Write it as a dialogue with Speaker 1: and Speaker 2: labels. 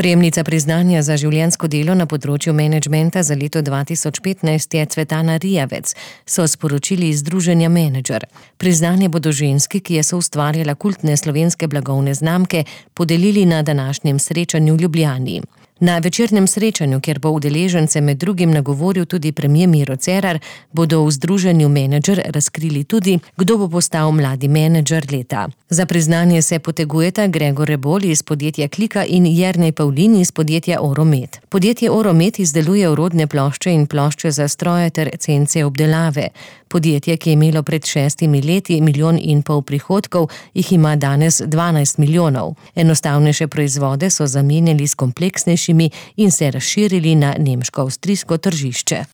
Speaker 1: Prejemnica priznanja za življenjsko delo na področju menedžmenta za leto 2015 je Cvetana Rijavec, so sporočili iz Združenja Menedžer. Priznanje bodo ženski, ki je soustvarjala kultne slovenske blagovne znamke, podelili na današnjem srečanju v Ljubljani. Na večernem srečanju, kjer bo udeležence med drugim nagovoril tudi premier Miro Cerar, bodo v Združenju Menedžer razkrili tudi, kdo bo postal mladi menedžer leta. Za priznanje se potegujeta Gregor Rebolj iz podjetja Klika in Jernej Pavlin iz podjetja Oromet. Podjetje Oromet izdeluje orodne plošče in plošče za stroje ter cence obdelave. Podjetje, ki je imelo pred 6 leti 1,5 milijona prihodkov, jih ima danes 12 milijonov. Enostavnejše proizvode so zamenjali s kompleksnejšimi in se razširili na nemško-avstrijsko tržišče.